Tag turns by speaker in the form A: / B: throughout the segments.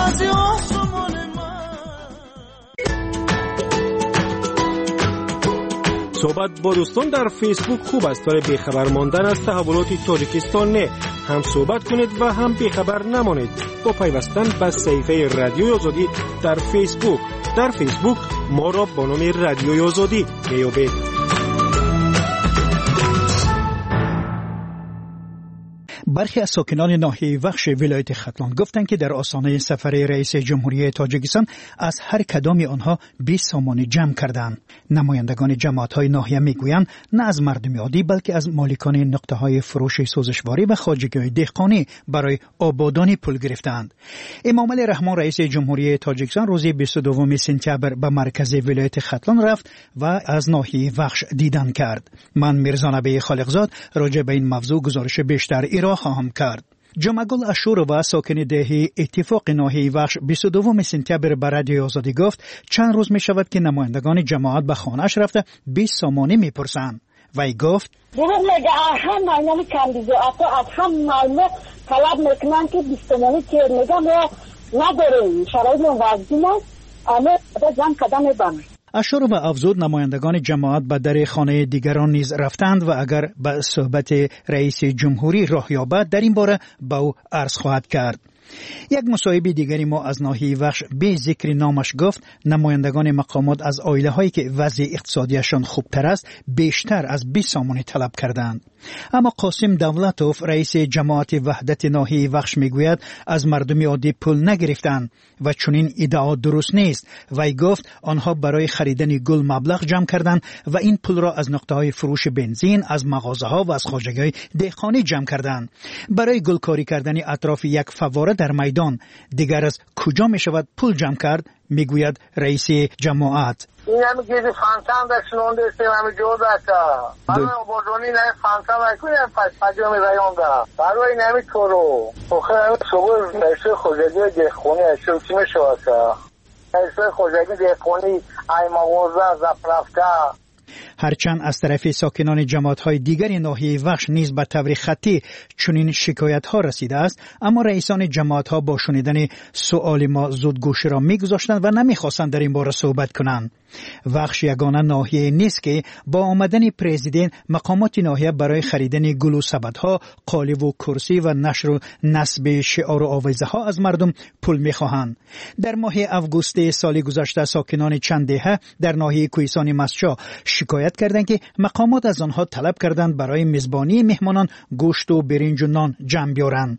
A: از آسمان من.
B: صحبت با دوستان در فیسبوک خوب است، ولی بیخبر ماندن از تحولات تاجیکستان نه. هم صحبت کنید و هم بیخبر نمانید با پیوستن به صحیفه رادیوی آزادی در فیسبوک. در فیسبوک ما را با نام رادیوی آزادی می‌یابید.
C: برخی از ساکنان ناحیه وخش ولایت ختلان گفتند که در آستانه سفر رئیس جمهوری تاجیکستان از هر کدام آنها 20 سامانی جمع کردند. نمایندگان جماعت‌های ناحیه میگویند نه از مردم عادی بلکه از مالکان نقطه‌های فروش سوزشواری و خواجگی‌های دهقانی برای آبادانی پول گرفتند. امامعلی رحمان رئیس جمهوری تاجیکستان روز 22 سپتامبر به مرکز ولایت ختلان رفت و از ناحیه وخش دیدن کرد. من میرزا نبی خالقزاد راجع به این موضوع گزارش بیشتر ارائه خواهم کرد. جمعگل اشورova ساکن دهی اتفاق ناحیه وخش 22 سپتامبر به رادیو آزادی گفت چند روز می شود که نمایندگان جماعت به خانه‌اش رفته 20 سامانی میپرسند. وی گفت
D: دروغ میگه، هم معنی کامبیزو از هم مالو طلب میکنن که 20 سامانی که میگم ما نداریم، شرایط وضعی است، اما جمع کردن میبرن.
C: اشورova افزود نمایندگان جماعت به در خانه دیگران نیز رفتند و اگر به صحبت رئیس جمهوری راه یابد در این باره به او عرض خواهد کرد. یک مصاحبه دیگری ما از ناحیه وخش به ذکر نامش گفت نمایندگان مقامات از عائله هایی که وضع اقتصادیشان خوبتر است بیشتر از 20 سامانی طلب کردند. اما قاسم دولتوف رئیس جماعت وحدت ناحیه وخش میگوید از مردم عادی پول نگرفتند و چنین ادعا درست نیست. وی گفت آنها برای خریدن گل مبلغ جمع کردند و این پول را از نقطه های فروش بنزین، از مغازه ها و از خواجگی های دهقانی جمع کردند. برای گلکاری کردن اطراف یک فواره در میدان دیگر از کجا می شود پول جمع کرد؟ میگوید رئیس جماعت.
E: این هم گیزی فانتان داشت نونده استیم همه جو داشت. برای آبادانی نه فانتان نکنیم پجام رایان ده. برای این همه کارو. آخه همه صبح رئیس خواجگی دهقانی اشتر چی میشود؟ رئیس خواجگی دهقانی ای مغازه زپرفته.
C: هرچند از طرف ساکنان جماعت‌های دیگر ناحیه وخش نیز به طور خطی چنین شکایت‌ها رسیده است، اما رئیسان جماعت‌ها با شنیدن سؤال ما زود گوشی را می‌گذاشتند و نمی‌خواستند در این باره صحبت کنند. وخش یگانه ناحیه نیست که با آمدن پرزیدنت مقامات ناحیه برای خریدن گل و سبدها، قالب و کرسی و نشر و نصب شعار و آویزه ها از مردم پول می‌خواهند. در ماه آگوست سال گذشته ساکنان چند دهه در ناحیه کوهستان مسجا شکایت کردند که مقامات از آنها طلب کردند برای میزبانی مهمانان گوشت و برنج و نان جمع بیارند.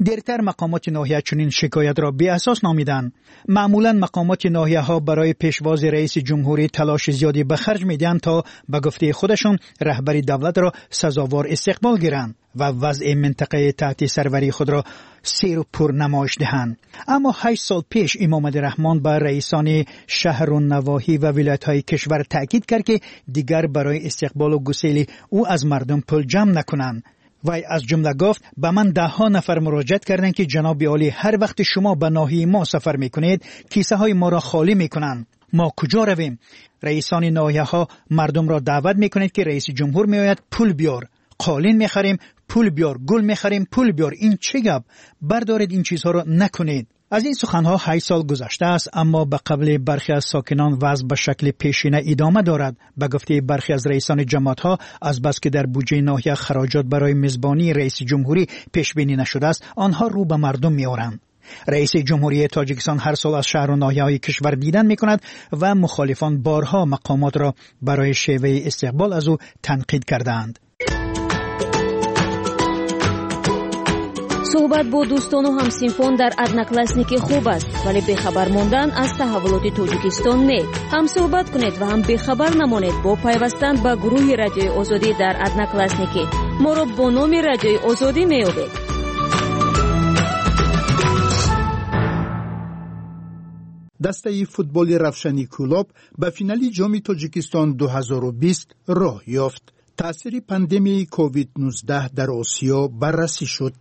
C: دیرتر مقامات ناحیه چنین شکایت را بی اساس نامیدند. معمولا مقامات ناحیه ها برای پیشواز رئیس جمهوری تلاش زیادی به خرج میدهند تا به گفته خودشان رهبر دولت را سزاوار استقبال گیرند و وضع منطقه تحت سروری خود را سیر و پر نمایش دهند. اما 8 سال پیش امامعلی رحمان به رئیسان شهر و نواحی و ولایت‌های کشور تاکید کرد که دیگر برای استقبال و گسیل او از مردم پول جمع نکنند. وی از جمله گفت به من ده ها نفر مراجعت کردند که جناب عالی هر وقت شما به ناحیه ما سفر میکنید کیسه های ما را خالی میکنند. ما کجا رویم؟ رئیسان ناحیه ها مردم را دعوت میکنید که رئیس جمهور میآید پول بیار، قالین میخریم پول بیار، گل میخریم پول بیار. این چه گپ؟ بردارید این چیزها را نکنید. از این سخنها 8 سال گذشته است، اما به قبل برخی از ساکنان وضع به شکل پیشینه ادامه دارد. به گفته برخی از رئیسان جماعت‌ها از بس که در بودجه ناحیه خراجات برای میزبانی رئیس جمهوری پیش بینی نشده است، آنها رو به مردم می‌آورند. رئیس جمهوری تاجیکستان هر سال از شهر و ناحیه‌های کشور دیدن می‌کند و مخالفان بارها مقامات را برای شیوه استقبال از او تنقید کردند.
F: суҳбат бо дӯстону ҳамсинфон дар Одноклассники хуб аст, вале бехабар мондан аз таҳаввулоти Тоҷикистон не. Ҳам суҳбат кунед ва ҳам бехабар намонед бо пайвастан ба гурӯҳи Радиои Озодӣ дар Одноклассники. Моро бо номи Радиои Озодӣ меёбед.
G: Дастаи футболи Равшани Кӯлоб ба финали Ҷоми Тоҷикистон 2020 роҳ ёфт. Таъсири пандемияи COVID-19 дар Осиё баррасӣ шуд.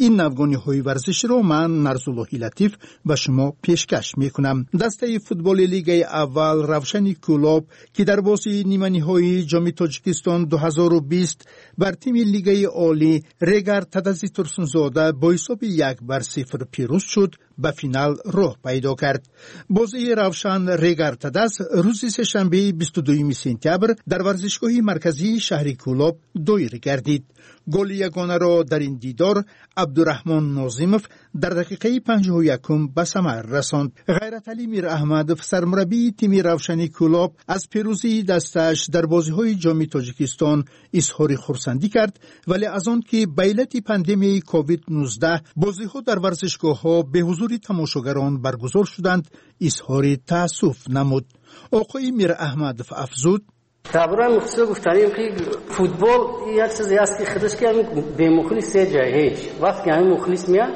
G: Ин навгониҳои варзиширо ман Нарзуллоҳи Латиф ба шумо пешкаш мекунам. Дастаи футболи лигаи аввал Равшани Кӯлоб, ки дар бозии ниманиҳои Ҷоми Тоҷикистон 2020 бар тими лигаи олӣ Регар Тадази Турсунзода бо ҳисоби 1-0 пирӯз шуд, ба финал роҳ пайдо кард. Бозии Равшан Регар-ТадАЗ рӯзи сешанбеи 22 сентябр дар варзишгоҳи марказии шаҳри Кӯлоб доир гардид. Голи ягонаро дар ин дидор Абдураҳмон Нозимов дар дақиқаи 51 ба самар расонд. Ғайраталӣ Мираҳмадов, сармураббии тими Равшани Кӯлоб, аз пирӯзии дастааш дар бозиҳои Ҷоми Тоҷикистон изҳори хурсандӣ кард, вале аз он ки ба иллати пандемияи COVID-19 бозиҳо дар варзишгоҳҳо беҳузури тамошогарон баргузор шуданд, изҳори таассуф намуд. Оқои Мираҳмадов афзуд:
H: Дар бораи мухлисо гуфтанем, ки футбол як чизе аст, ки худаш ки ҳамин бемухлис се ҷай ҳеҷ. Вақте ки ҳамин мухлис меяд,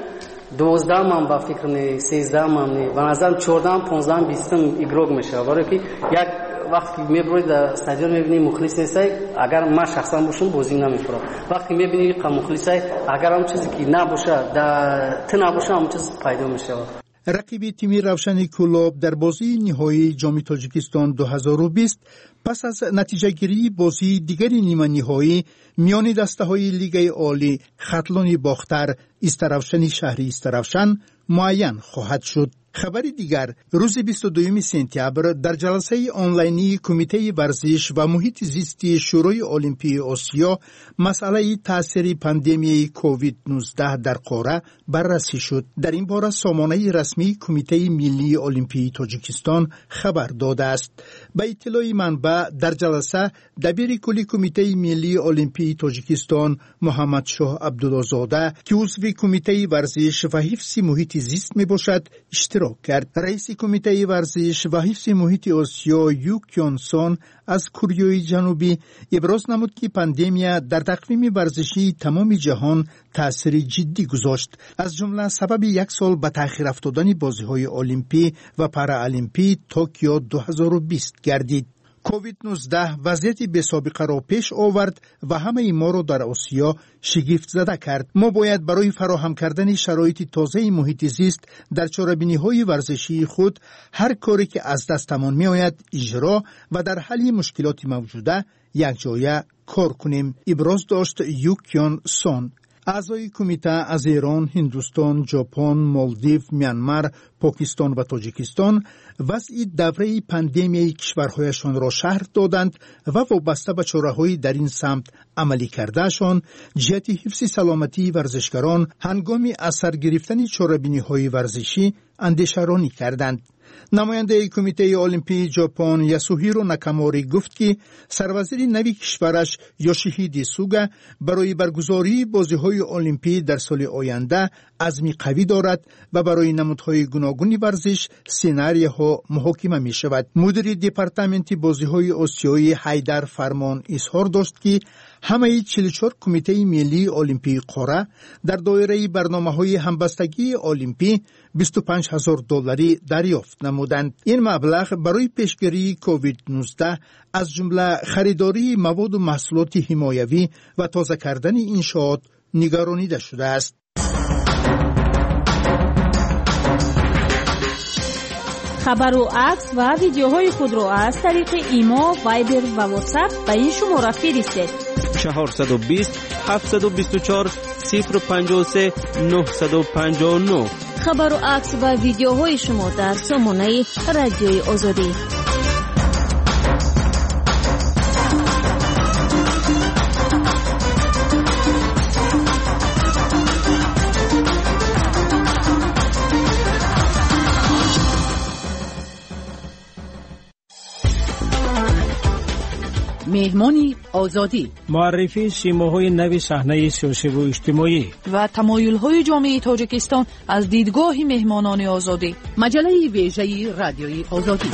H: 12-ам ба фикр не, 13-ам не, ба назарам 14-ам, 15-ам, 20-ам игрок мешавад. Барое ки як вақте ки меброи дар стадион мебинӣ мухлис нестай, агар ман шахсан бошам, бозӣ намефурам. Вақте ки мебинӣ қа мухлисай, агар ҳам чизе ки набоша, дар ту набоша, ҳам чиз пайдо мешавад.
G: Рақиби тими Равшани Кӯлоб дар бозии ниҳоии Ҷоми Тоҷикистон 2020 пас аз натиҷагирии бозии дигари ниманиҳоӣ миёни дастаҳои Лигаи Олӣ Хатлони Бохтар Истаравшани шаҳри Истаравшан муайян хоҳад шуд. Хабари дигар: рӯзи 22 сентябр дар ҷаласаи онлайнии Кумитаи варзиш ва муҳити зисти Шӯрои Олимпии Осиё масъалаи таъсири пандемияи COVID-19 дар қора баррасӣ шуд. Дар ин бора сомонаи расмии Кумитаи миллии олимпии Тоҷикистон хабар додааст. Ба иттилои манбаъ, дар ҷаласа дабири кулли Кумитаи миллии олимпии Тоҷикистон Муҳаммадшоҳ Абдуллозода, ки узви Кумитаи варзиш ва ҳифзи муҳити зист мебошад, иштирок кард. Раиси Кумитаи варзиш ва ҳифзи муҳити Осиё Ю Кёнсон аз Кӯрёи Ҷанубӣ иброз намуд, ки пандемия дар тақвими варзишии тамоми ҷаҳон таъсири ҷиддӣ гузошт, аз ҷумла сабаби як сол ба таъхир афтодани бозиҳои олимпӣ ва параолимпии Токио 2020 гардид. COVID-19 вазъияти бесобиқаро пеш овард ва ҳамаи моро дар Осиё шигифтзада кард. Мо бояд барои фароҳам кардани шароити тозаи муҳити зист дар чорабиниҳои варзишии худ ҳар коре ки аз дастамон меояд иҷро ва дар ҳалли мушкилоти мавҷуда якҷоя кор кунем, иброз дошт Ю Кён Сон. Аъзои кумита аз Эрон, Ҳиндустон, Ҷопон, Молдив, Мянмар, Покистон ва Тоҷикистон вазъи давраи пандемияи кишварҳояшонро шарҳ доданд ва вобаста ба чораҳои дар ин самт амалӣ кардаашон ҷиҳати ҳифзи саломатии варзишгарон ҳангоми аз сар гирифтани чорабиниҳои варзишӣ андешаронӣ карданд. Намояндаи Кумитаи олимпии Ҷопон Ясуҳиро Накамори гуфт, ки сарвазири нави кишвараш Ёшиҳиди Суга барои баргузории бозиҳои олимпӣ дар соли оянда азми қавӣ дорад ва барои намудҳои гуногуни варзиш сценарияҳо муҳокима мешавад. Мудири департаменти бозиҳои осиёӣ Ҳайдар Фармон изҳор дошт, ки ҳамаи 44 кумитаи миллии олимпии қора дар доираи барномаҳои ҳамбастагии олимпӣ 25 ҳазор долларӣ дарёфт намуданд. Ин маблағ барои пешгирии COVID-19, аз ҷумла харидории маводу маҳсулоти ҳимоявӣ ва тоза кардани иншоот нигаронида шудааст.
F: Хабару акс ва видеоҳои худро аз тариқи Имо, Вайбер ва Ватсап ба ин шумора фиристед:
I: 420 724 053 959.
F: Хабару акс ва видеоҳои шумо дар сомонаи Радиои Озодӣ.
J: Меҳмони Озодӣ.
B: Муаррифии симоҳои нави саҳнаи сиёсиву иҷтимоӣ
J: ва тамоюлҳои ҷомеаи Тоҷикистон аз дидгоҳи меҳмонони Озодӣ. Маҷаллаи вежаи Радиои Озодӣ.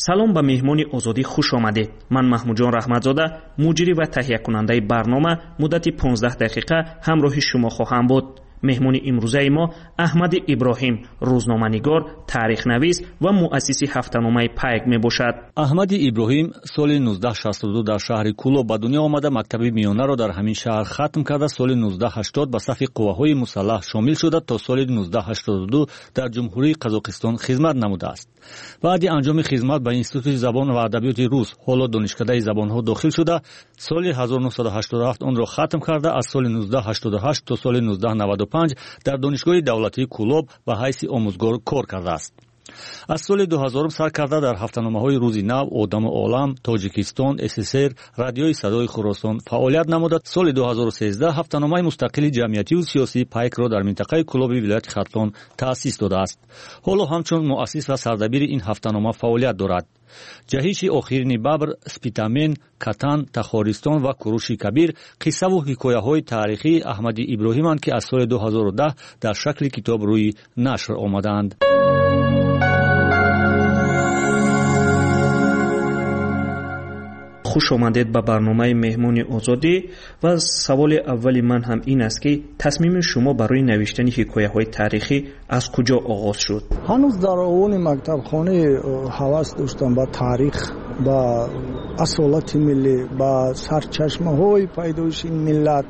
K: Салом, ба Меҳмони Озодӣ хуш омадед. Ман Маҳмудҷон Раҳматзода, муҷрӣ ва таҳиякунандаи барнома, муддати 15 дақиқа ҳамроҳи шумо хоҳам буд. Меҳмони имрӯзаи мо Аҳмади Иброҳим, рӯзноманигор, таърихнавис ва муассиси ҳафтаномаи Пайк мебошад.
L: Аҳмади Иброҳим соли 1962 дар шаҳри Кӯлоб ба дунё омада, мактаби миёнаро дар ҳамин шаҳр хатм карда, соли 1980 ба сафи қувваҳои мусаллаҳ шомил шуда, то соли 1982 дар Ҷумҳурии Қазоқистон хизмат намудааст. Баъди анҷоми хизмат ба Институти забон ва адабиёти рус, ҳоло Донишкадаи забонҳо, дохил шуда, Соли 1987 онро хатм карда, аз соли 1988 то соли 1995 дар Донишгоҳи давлатии Кӯлоб ба ҳайси омӯзгор кор кардааст. Аз соли 2000 сар карда дар ҳафтаномаҳои Рӯзи нав, Одаму олам, Тоҷикистон, СССР, Радиои садои Хуросон фаъолият намуда, соли 2013 ҳафтаномаи мустақили ҷамъиятиву сиёсии Пайкро дар минтақаи Кӯлоби вилояти Хатлон таъсис додааст. Ҳоло ҳамчун муассис ва сардабири ин ҳафтанома фаъолият дорад. Ҷаҳиши охирини бабр, Спитамен, Катан, Тахористон ва Куруши Кабир қиссаву ҳикояҳои таърихии Аҳмади Иброҳиманд, ки аз соли 2010 дар шакли китоб рӯи нашр омадаанд.
K: Хуш омадед ба барномаи Меҳмони Озодӣ. Ва саволи аввали ман ҳам ин аст, ки тасмими шумо барои навиштани ҳикояҳои таърихӣ аз куҷо оғоз шуд?
M: Ҳанӯз дар овони мактабхона ҳавас доштам ба таърих, ба асолати миллӣ, ба сарчашмаҳои пайдоиши ин миллат.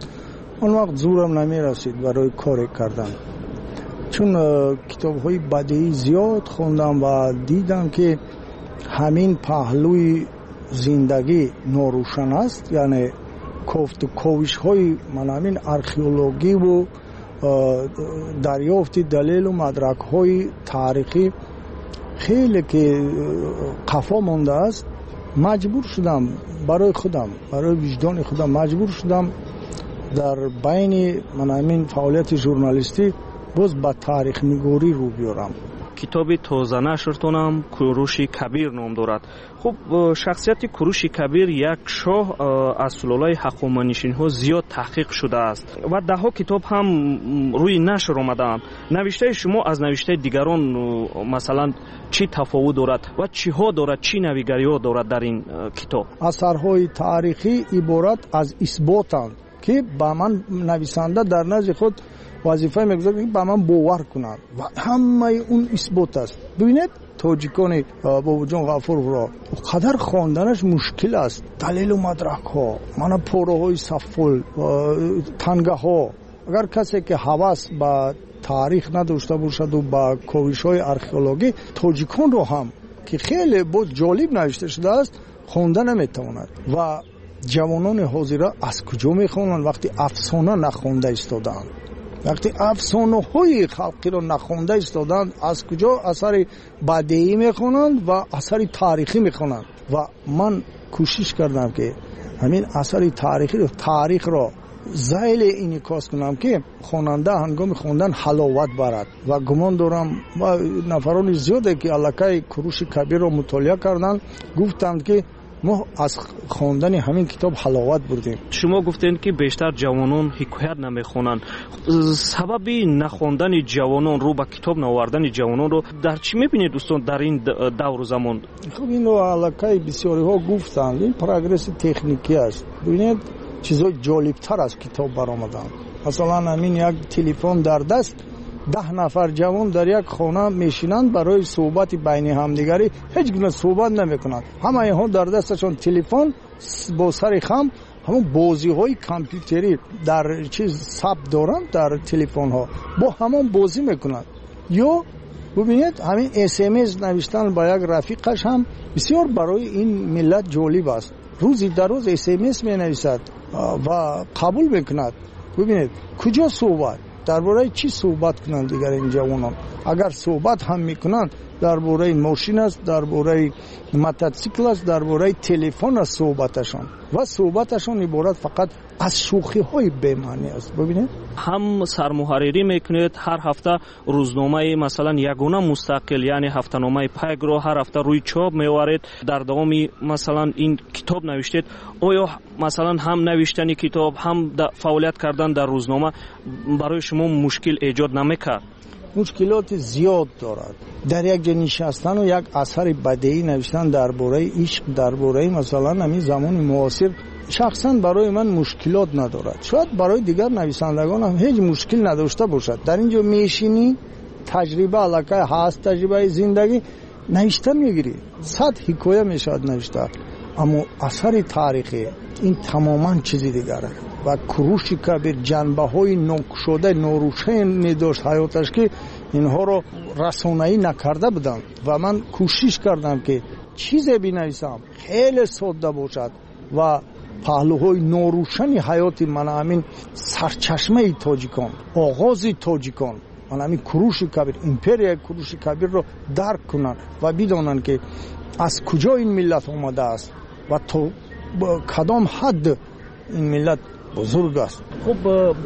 M: Он вақт зӯрам намерасид барои коре кардан, чун китобҳои бадеӣ зиёд хондам ва дидам, ки ҳамин паҳлӯи зиндагӣ норӯшан аст, яъне кофту ковишҳои ман ҳамин археологиву дарёфти далелу мадракҳои таърихӣ хеле ки қафо мондааст. Маҷбур шудам барои худам, барои виҷдони худам маҷбур шудам дар байни ман ҳамин фаъолияти журналистӣ боз ба таърихнигорӣ рӯ биёрам.
K: Китоби тозанашртонам Куруши Кабир ном дорад. Хуб, шахсияти Куруши Кабир, як шоҳ аз сулолаи ҳақоманишинҳо, зиёд таҳқиқ шудааст ва даҳҳо китоб ҳам рӯи нашр омадаанд. Навиштаи шумо аз навиштаи дигарон, масалан, чӣ тафовут дорад ва чиҳо дорад, чӣ навигариҳо дорад дар ин китоб?
M: Асарҳои таърихӣ иборат аз исботанд, ки ба ман нависанда дар назди худ вазифа мегузорад, ки ба ман бовар кунанд, ва ҳамаи он исбот аст. Бибинед, тоҷикони Бобоҷон Ғафуровро қадар хонданаш мушкил аст. Далелу мадракҳо, мана пораҳои саффул, тангаҳо. Агар касе ки ҳавас ба таърих надошта бошаду ба ковишҳои археологӣ, тоҷиконро ҳам, ки хеле боз ҷолиб навишта шудааст, хонда наметавонад. Ва ҷавонони ҳозира аз куҷо мехонанд, вақте афсона нахонда истодаанд, вақте афсонаҳои халқиро нахонда истодаанд, аз куҷо асари бадеӣ мехонанд ва асари таърихӣ мехонанд? Ва ман кӯшиш кардам, ки ҳамин асари таърихро зайле инъикос кунам, ки хонанда ҳангоми хондан ҳаловат барад. Ва гумон дорам, ва нафарони зиёде ки аллакай Куруши Кабирро мутолиа карданд, гуфтанд, ки мо аз хондани ҳамин китоб ҳаловат бурдем.
K: Шумо гуфтед, ки бештар ҷавонон ҳикоят намехонанд. Сабаби нахондани ҷавонон, рӯ ба китоб наовардани ҷавононро дар чӣ мебинед, дӯстон, дар ин давру замон?
M: Хуб, инро аллакай бисёриҳо гуфтанд, ин прогресси техникӣ аст. Бибинед, чизҳои ҷолибтар аз китоб баромаданд. Масалан, ҳамин як телефон дар даст, 10 нафар ҷавон дар як хона мешинанд, барои суҳбати байни ҳамдигарӣ ҳеҷ гуна суҳбат намекунанд. Ҳама инҳо дар дасташон телефон, бо сари хам ҳамон бозиҳои компютерӣ дар чиз сабт доранд, дар телефонҳо бо ҳамон бозӣ мекунанд. Ё бубинед, ҳамин СМС навиштан ба як рафиқаш ҳам бисёр барои ин миллат ҷолиб аст. Рӯзи дар рӯз СМС менависад ва қабул мекунад. Бубинед, куҷо суҳбат, дар бораи чӣ суҳбат кунанд дигар ин ҷавонон? Агар суҳбат ҳам мекунанд, дар бораи мошин аст, дар бораи мототсикл аст, дар бораи телефон аст суҳбаташон. Ва суҳбаташон иборат фақат аз шӯхиҳои бемаънӣ аст. Бубинед,
K: ҳам сармуҳаррирӣ мекунед ҳар ҳафта рӯзномаи, масалан, ягона мустақил, яъне ҳафтаномаи Пайкро ҳар ҳафта рӯи чоп меоваред. Дар давоми, масалан, ин китоб навиштед, оё, масалан, ҳам навиштани китоб, ҳам фаъолият кардан дар рӯзнома барои шумо мушкил эҷод намекард?
M: Мушкилоти зиёд дорад. Дар як ҷо нишастану як асари бадеӣ навиштан дар бораи ишқ, дар бораи, масалан, ҳамин замони муосир, шахсан барои ман мушкилот надорад. Шояд барои дигар нависандагон ҳам ҳеҷ мушкил надошта бошад. Дар ин ҷо мешинӣ, таҷриба аллакай ҳаст, таҷрибаи зиндагӣ, навишта мегирӣ, 100 ҳикоя мешавад навишта. Аммо асари таърихӣ ин тамоман чизи дигар аст. Ва Куруши Кабир ҷанбаҳои нокушода, норӯшане дошт ҳаёташ, ки инҳоро расонаӣ накарда буданд. Ва ман кӯшиш кардам, ки чизе бинависам хеле содда бошад ва Паҳлӯҳои норӯшани ҳаёти мана ҳамин сарчашмаи тоҷикон, оғози тоҷикон, мана ҳамин Куруши Кабир, империяи Куруши Кабирро дарк кунанд ва бидонанд, ки аз куҷо ин миллат омадааст ва то кадом ҳадд ин миллат бузург аст.
K: Хуб,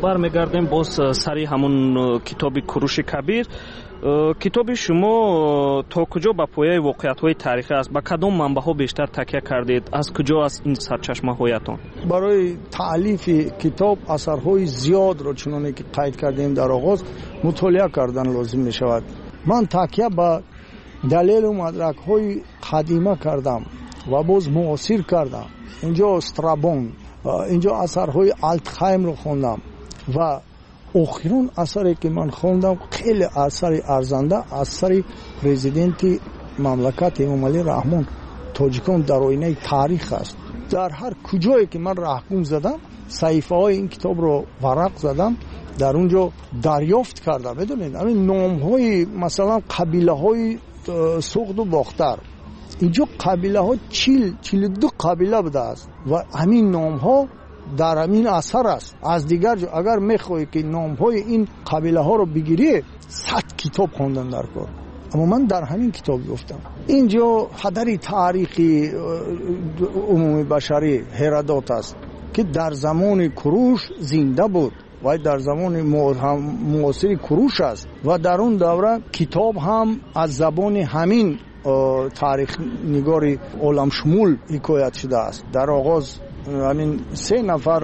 K: бармегардем боз сари ҳамун китоби Куруши Кабир. Китоби шумо то куҷо ба пояи воқеиятҳои таърихӣ аст? Ба кадом манбаъҳо бештар такя кардед? Аз куҷо аст ин сарчашмаҳоятон?
M: Барои таълифи китоб асарҳои зиёдро, чуноне ки қайд кардем дар оғоз, мутолиа кардан лозим мешавад. Ман такя ба далелу мадракҳои қадима кардам ва боз муосир кардам. Инҷо Страбон, инҷо асарҳои Алтхаймро хондам ва охирон асаре ки ман хондам, хеле асари арзанда, асари президенти мамлакат Эмомалӣ Раҳмон, «Тоҷикон дар оинаи таърих» аст. Дар ҳар куҷое ки ман раҳгум задам, саҳифаҳои ин китобро варақ задам, дар он ҷо дарёфт кардам, медонед, ҳамин номҳои, масалан, қабилаҳои Суғду Бохтар. Инҷо қабилаҳо 40-42 қабила будааст ва ҳамин номҳо дар ҳамин асар аст. Аз дигар ҷо агар мехоҳӣ ки номҳои ин қабилаҳоро бигирӣ, 100 китоб хондан дар кор, аммо ман дар ҳамин китоб ёфтам. Инҷо падари таърихи умуми башарӣ Ҳеродот аст, ки дар замони Куруш зинда буд вай дар замони муосири Куруш аст ва дар он давра китоб ҳам аз забони ҳамин таърихнигори оламшумул ҳикоят шудааст. Дар оғоз ҳамин се нафар,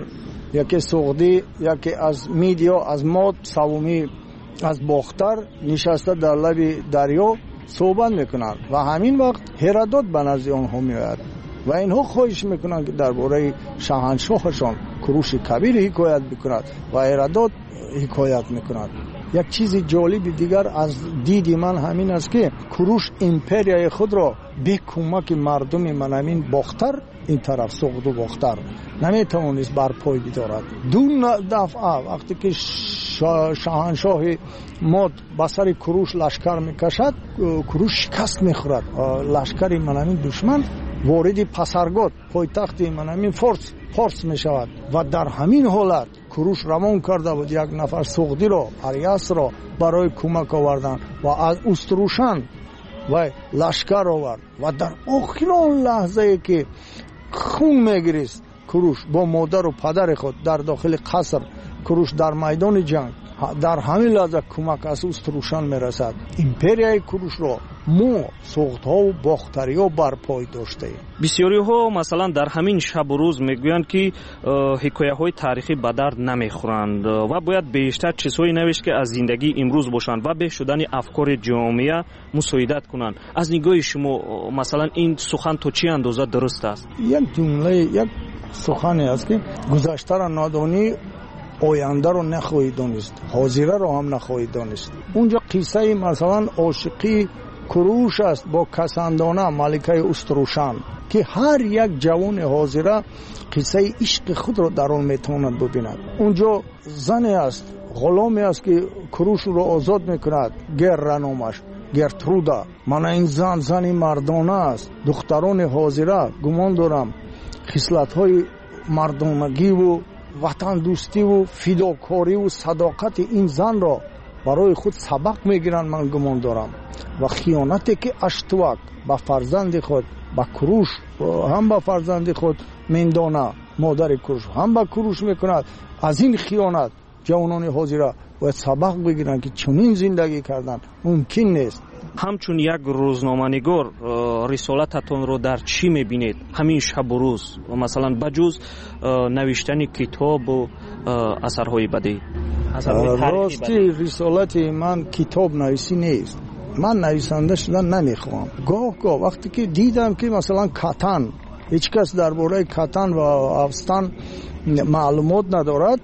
M: яке суғдӣ, яке аз Мидиё, аз Мод, савумӣ аз Бохтар, нишаста дар лаби дарё суҳбат мекунанд ва ҳамин вақт Ҳеродот ба назди онҳо меояд ва инҳо хоҳиш мекунанд, ки дар бораи шаҳаншоҳашон Куруши Кабир ҳикоят бикунад ва Ҳеродот ҳикоят мекунад. Як чизи ҷолиби дигар аз диди ман ҳамин аст, ки Куруш империяи худро бе кӯмаки мардуми манамин Бохтар, ин тараф Суғду Бохтар, наметавонист барпой бидорад. Ду дафъа вақте ки шоҳаншоҳи Мод ба сари Куруш лашкар мекашад, Куруш шикаст мехӯрад. Лашкари манамин душман вориди Пасаргод, пойтахти манамин Форс мешавад ва дар ҳамин ҳолат Куруш равон карда буд як нафар суғдиро, Ариасро, барои кӯмак овардан ва аз Уструшан вай лашкар овард ва дар охирон лаҳзае ки хун мегирист Куруш бо модару падари худ дар дохили қаср, Куруш дар майдони ҷанг, дар ҳамин лаҳза кӯмак аз Уструшан мерасад. Империяи Курушро мо, суғдҳову бохтариҳо, барпой доштаем.
K: Бисёриҳо, масалан, дар ҳамин шабу рӯз мегӯянд, ки ҳикояҳои таърихӣ ба дард намехӯранд ва бояд бештар чизҳое навишт, ки аз зиндагии имрӯз бошанд ва беҳ шудани афкори ҷомеа мусоидат кунанд. Аз нигоҳи шумо, масалан, ин сухан то чӣ андоза дуруст аст?
M: Як ҷумлаи, як сухане аст, ки гузаштаро надонӣ, ояндаро нахоҳӣ донист, ҳозираро ҳам нахоҳӣ донист. Унҷо қиссаи, масалан, ошиқии Куруш аст бо Касандона, маликаи Уструшан, ки ҳар як ҷавони ҳозира қиссаи ишқи худро дар он метавонад бубинад. Унҷо зане аст, ғуломе аст, ки Куруш ӯро озод мекунад, Герра номаш, Гертруда. Мана ин зан зани мардона аст. Духтарони ҳозира, гумон дорам, хислатҳои мардонагиву ватандӯстиву фидокориву садоқати ин занро барои худ сабақ мегиранд, ман гумон дорам. Ва хиёнате ки Аштувак ба фарзанди худ, ба Куруш, ҳам ба фарзанди худ Мендона, модари Куруш, ҳам ба Куруш мекунад, аз ин хиёнат ҷавонони ҳозира бояд сабақ бигиранд, ки чунин зиндагӣ кардан мумкин нест.
K: Ҳамчун як рӯзноманигор рисолататонро дар чӣ мебинед ҳамин шабу рӯз, масалан, ба ҷуз навиштани китобу асарҳои бадеӣ?
M: Рости, рисолати ман китобнависӣ нест. Ман нависанда шудан намехоҳам. Гоҳ гоҳ вақте ки дидам, ки, масалан, Катан, ҳеҷ кас дар бораи Катан ва Афстан маълумот надорад,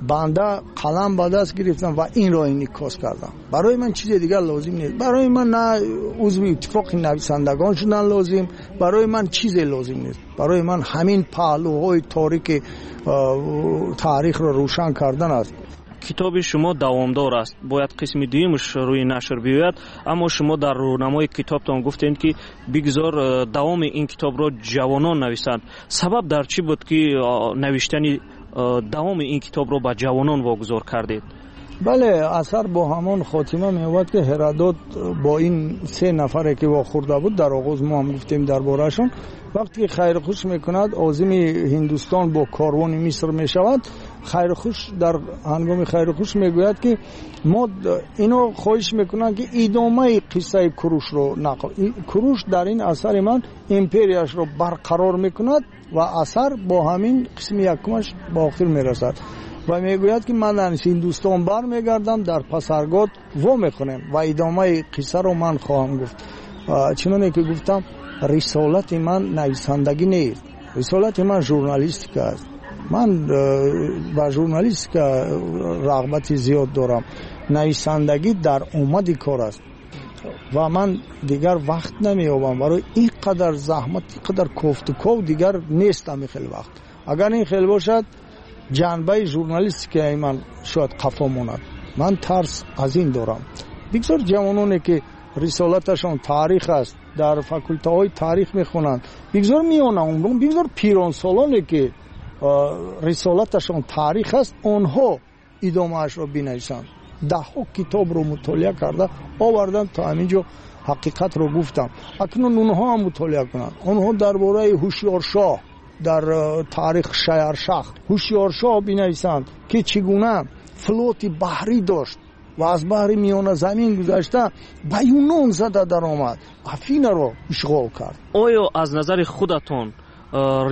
M: банда қалам ба даст гирифтам ва инро инъикос кардам. Барои ман чизе дигар лозим нест. Барои ман на узви иттифоқи нависандагон шудан лозим, барои ман чизе лозим нест. Барои ман ҳамин паҳлӯҳои торики таърихро рӯшан кардан аст.
K: Китоби шумо давомдор аст, бояд қисми дуюмаш рӯи нашр биёяд, аммо шумо дар рӯнамои китобтон гуфтед, ки бигзор давоми ин китобро ҷавонон нависанд. Сабаб дар чӣ буд, ки навиштани давоми ин китобро ба ҷавонон вогузор кардед?
M: Бале, асар бо ҳамон хотима меёбад, ки Ҳеродот бо ин се нафаре, ки вохӯрда буд, дар оғоз мо ҳам гуфтем дар бораашон, вақте ки хайрхуш мекунад, озими Ҳиндустон бо корвони Миср мешавад. Хайрхуш дар ҳангоми хайрхуш мегӯяд, ки мо ино хоҳиш мекунанд, ки идомаи қиссаи Курушро нақл. Куруш дар ин асари ман империяшро барқарор мекунад ва асар бо ҳамин қисми якумаш ба охир мерасад ва мегӯяд, ки ман аз Ҳиндустон бармегардам, дар Пасаргод вомехӯрем ва идомаи қиссаро ман хоҳам гуфт. Чуноне ки гуфтам, рисолати ман нависандагӣ нест, рисолати ман журналистика аст. Ман ба журналистика рағбати зиёд дорам. Нависандагӣ дар омади кор аст ва ман дигар вақт намеёбам барои ин қадар заҳмат, ин қадар кофтуков дигар нест ҳамин хел вақт. Агар ин хел бошад, ҷанбаи журналистикаи ман шояд қафо монад. Ман тарс аз ин дорам. Бигзор ҷавононе, ки рисолаташон таърих аст, дар факултаҳои таърих мехонанд, бигзор миёнаумрон, бигзор пиронсолоне, ки рисолаташон таърих аст, онҳо идомаашро бинависанд. Даҳҳо китобро мутолиа карда овардам, то ҳамин ҷо ҳақиқатро гуфтам. Акнун онҳо ҳам мутолиа кунанд. Онҳо дар бораи Ҳушёршоҳ, дар таърих Шаяршах, Ҳушёршоҳ бинависанд, ки чӣ гуна флоти баҳрӣ дошт ва аз баҳри Миёназамин гузашта ба Юнон зада даромад, Афинаро ишғол кард.
K: Оё аз назари худатон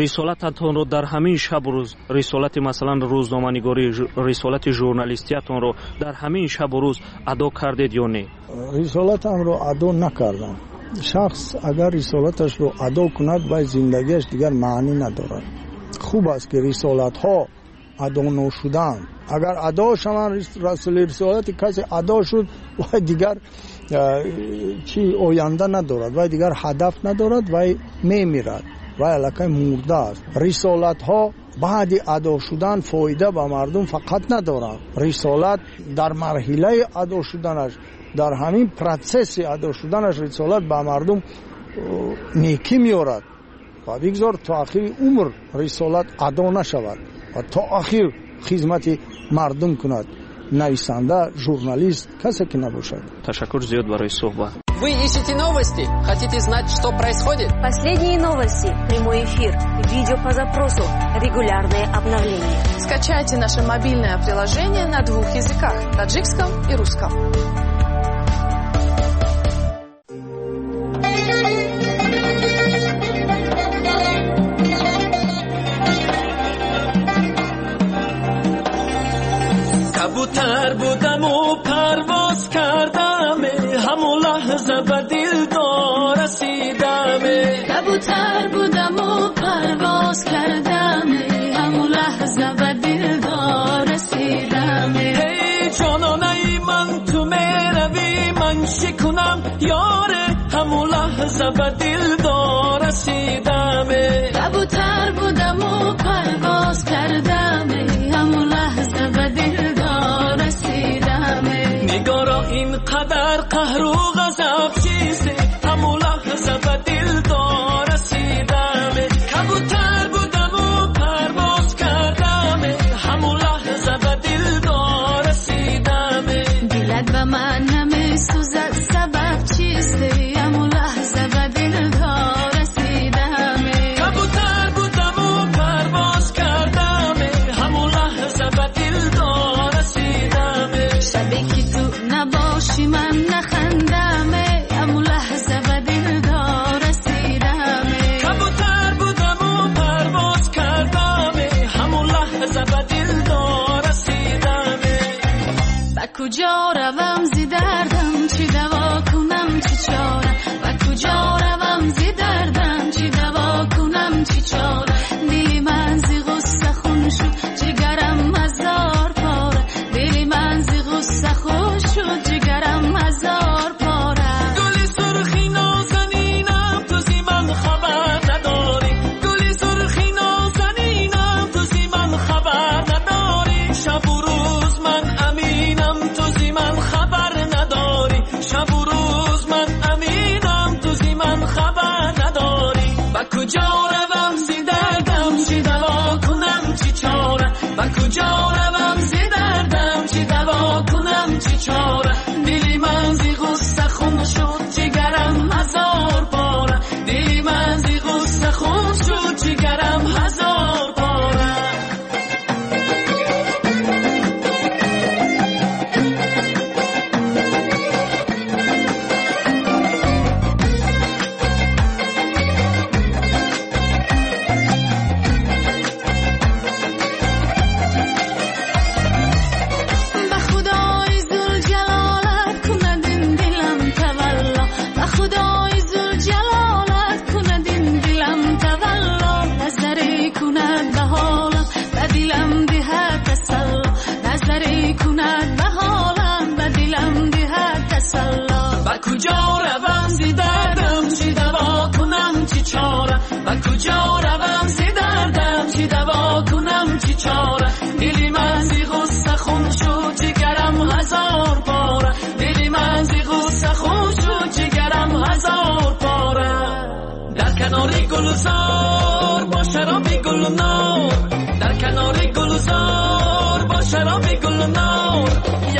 K: рисолататонро дар ҳамин шабу рӯз, рисолати масалан рӯзноманигорӣ, рисолати журналистиятонро дар ҳамин шабу рӯз адо кардед ё не?
M: Рисолатамро адо накардам. Шахс агар рисолаташро адо кунад, вай зиндагиаш дигар маънӣ надорад. Хуб аст, ки рисолатҳо адо ношуданд. Агар адо шаванд, рисолати касе адо шуд, вай дигар чӣ оянда надорад, вай дигар ҳадаф надорад, вай мемирад, вай аллакай мурда аст. Рисолатҳо баъди адо шудан фоида ба мардум фақат надоранд. Рисолат дар марҳилаи адо шуданаш, дар ҳамин процесси адо шуданаш рисолат ба мардум некӣ меорад ва бигзор то ахири умр рисолат адо нашавад ва то ахир хизмати мардум кунад нависанда, журналист, касе ки набошад.
K: Ташаккур зиёд барои суҳбат.
N: Вы ищете новости? Хотите знать, что происходит?
F: Последние новости, прямой эфир, видео по запросу, регулярные обновления.
J: Скачайте наше мобильное приложение на двух языках – таджикском и русском.
A: Кабутар будаму парвоз кардам, ҳамун лаҳза ба дилдор расидам.
O: Кабутар будаму парвоз кардам, ҳамун лаҳза ба дилдор расидам.
A: Эй ҷононаи ман, ту меравӣ, ман чӣ кунам ёре, ҳамун лаҳза ба дилдор расидам.
O: Кабутар будаму парвоз кардам, ҳамун лаҳза ба дилдор расидам.
A: Нигоро, ин қадар қаҳру ғазаб чизе, ҳамун лаҳза ба дилдор расидам. Кабутар будаму парвоз кардам, ҳамун лаҳза ба дилдор расидам.
O: Дилат ба ман намесӯзад, сабаб чизе, ҳамун лаҳза ба дилдор расидам.
A: Кабутар будаму парвоз кардам, ҳамун лаҳза ба дилдор расидам.
O: Шабе ки ту набошӣ, ман нахандам, ҳамун лаҳза ба дилдор расидам.
A: Кабутар будаму парвоз кардам, ҳамун лаҳза ба дилдор расидам.
O: Ба куҷо равам зи дардам, чӣ даво кунам, чӣ чора? Ба куҷо равам зи дардам, чӣ даво кунам, чӣ чора? Дили ман зи ғусса хун шуд, ҷигарам ҳазор пора. Дили ман зи ғусса хун шуд, ҷигарам ҳазор пора.
A: Гули сурхи нозанинам, ту зи ман хабар надорӣ. Гули сурхи нозанинам, ту зи ман хабар надорӣ. Шабу рӯз ман куҷо равам зи дардам, чӣ даво кунам, чӣ чора? Ба куҷо равам зи дардам, чӣ даво кунам, чӣ чора? Дили ман зи ғусса хун шуд, ҷигарам ҳазор пора. Дили ман зи ғусса хун шуд, ҷигарам ҳазор пора. Дар канори гулзор бо шароби гулнор, дар канори гулзор бо шароби гулнор,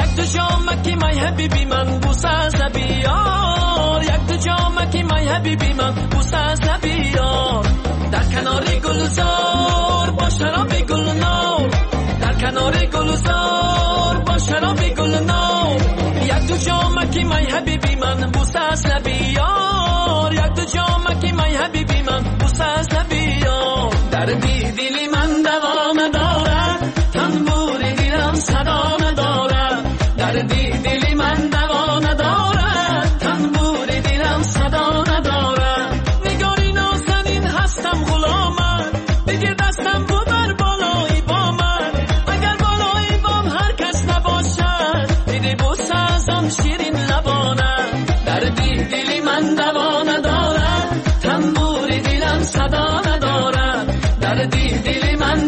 A: як ду ҷомаки май ҳабиби ман бӯса аз лаби ёр, як ду ҷомаки май ҳабиби ман бӯса аз лаби ёр. Дар канори гулзор бо шароби гулнор, дар канори гулзор бо шароби гулнор, як ду ҷомаки май ҳабиби ман бӯса аз лаби ёр, як ду ҷомаки май ҳабиби ман бӯса аз лаби ёр. Дарди дили ман даво надорад, танбури дилам садо надорад. Дарди дили ман даво надорад, танбури дилам садо надорад. Нигори нозанин ҳастам ғуломат, бигир дастам бубар болои бомат. Агар болои бом ҳар кас набошад, диди бӯса аз он ширин лабонад. Дарди дили ман даво надорад, танбури дилам садо надорад. Дарди дили ман